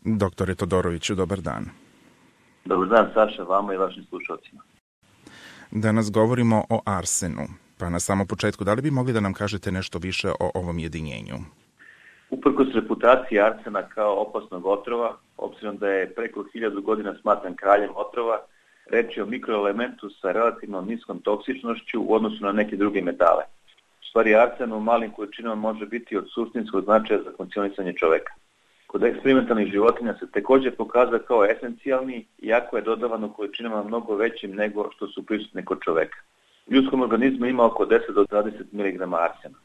Doktore Todoroviću, dobar dan. Dobar dan, Saša, vama i vašim slušalcima. Danas govorimo o arsenu, pa na samom početku, da li bi mogli da nam kažete nešto više o ovom jedinjenju? Uprkos reputaciji arsena kao opasnog otrova, obzirom da je preko 1000 godina smatran kraljem otrova, reč je o mikroelementu sa relativno niskom toksičnošću u odnosu na neke druge metale. U stvari, arsen u malim količinama može biti od suštinskog značaja za funkcionisanje čoveka. Kod eksperimentalnih životinja se također pokazao kao esencijalni, iako je dodavan u količinama mnogo većim nego što su prisutne kod čoveka. U ljudskom organizmu ima oko 10 do 20 mg arsena.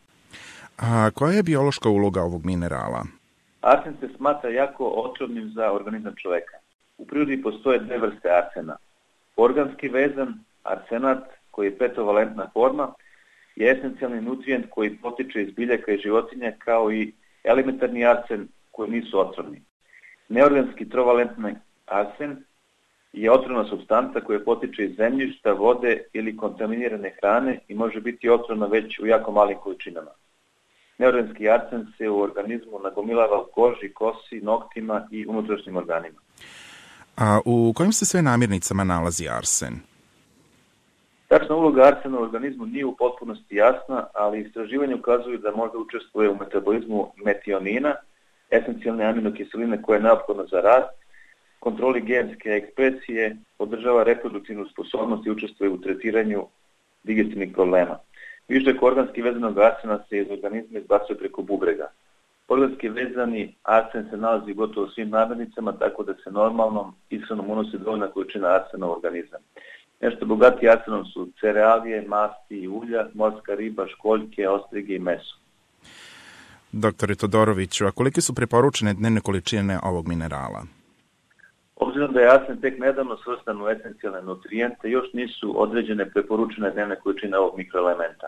A koja je biološka uloga ovog minerala? Arsen se smatra jako otrovnim za organizam čoveka. U prirodi postoje dve vrste arsena. Organski vezan arsenat, koji je petovalentna forma, je esencijalni nutrijent koji potiče iz biljaka i životinja, kao i elementarni arsen koji nisu otrovni. Neorganski trovalentni arsen je otrovna supstanca koja potiče iz zemljišta, vode ili kontaminirane hrane i može biti otrovna već u jako malim količinama. Neorganski arsen se u organizmu nagomilava u koži, kosi, noktima i unutrašnjim organima. A u kojim se sve namirnicama nalazi arsen? Tačna uloga arsena u organizmu nije u potpunosti jasna, ali istraživanje ukazuju da možda učestvuje u metabolizmu metionina, esencijalne aminokiseline koja je neophodna za rast, kontroli genske ekspresije, podržava reproduktivnu sposobnost i učestvuje u tretiranju digestivnih problema. Višak organski vezanog arsena se iz organizma izbacuje preko bubrega. Organski vezani arsen se nalazi gotovo u svim namirnicama, tako da se normalnom ishranom unosi dovoljna količina arsena u organizam. Nešto bogati arsenom su cerealije, masti i ulja, morska riba, školjke, ostrige i meso. Doktore Todoroviću, a kolike su preporučene dnevne količine ovog minerala? Obzirom da je arsen tek nedavno svrstan u esencijalne nutrijente, još nisu određene preporučene dnevne količine ovog mikroelementa.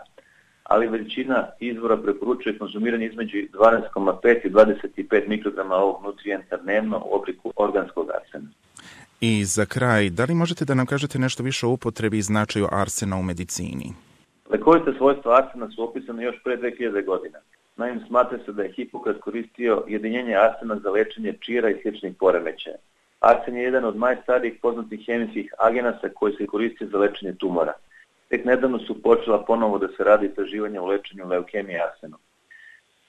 Ali većina izvora preporučuje konzumiranje između 12,5 i 25 mikrograma ovog nutrijenta dnevno u obliku organskog arsena. I za kraj, da li možete da nam kažete nešto više o upotrebi i značaju arsena u medicini? Lekovita svojstva arsena su opisane još pre 2000 godina. Naime, smatra se da je Hipokrat koristio jedinjenje arsena za lečenje čira i sličnih poremećaja. Arsen je jedan od najstarijih poznatih hemijskih agenasa koji se koristi za lečenje tumora. Tek nedavno su počela ponovo da se radi istraživanja u lečenju leukemije arsenom.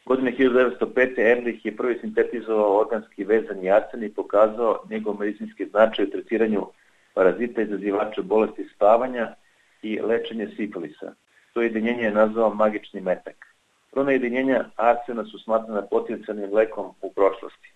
Godine 1905. Ehrlich je prvi sintetizovao organski vezani arsen i pokazao njegov medicinski značaj u tretiranju parazita izazivača bolesti spavanja i lečenje sifilisa. To jedinjenje je nazvao magični metak. Prona jedinjenja arsena su smatrana potencijalnim lekom u prošlosti.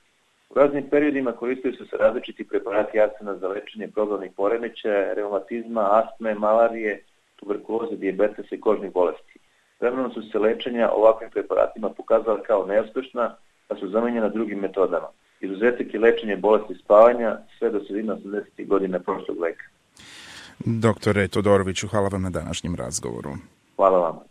U raznim periodima koristili su se različiti preparati arsena za lečenje probavnih poremećaja, reumatizma, astme, malarije, tuberkuloze, dijabetesa i kožnih bolesti. Vremenom su se lečenja ovakvim preparatima pokazala kao neuspešna, pa su zamenjena drugim metodama. Izuzetak je lečenje bolesti spavanja sve do sredine 80. godina prošlog veka. Doktore Todoroviću, hvala vam na današnjem razgovoru. Hvala vam.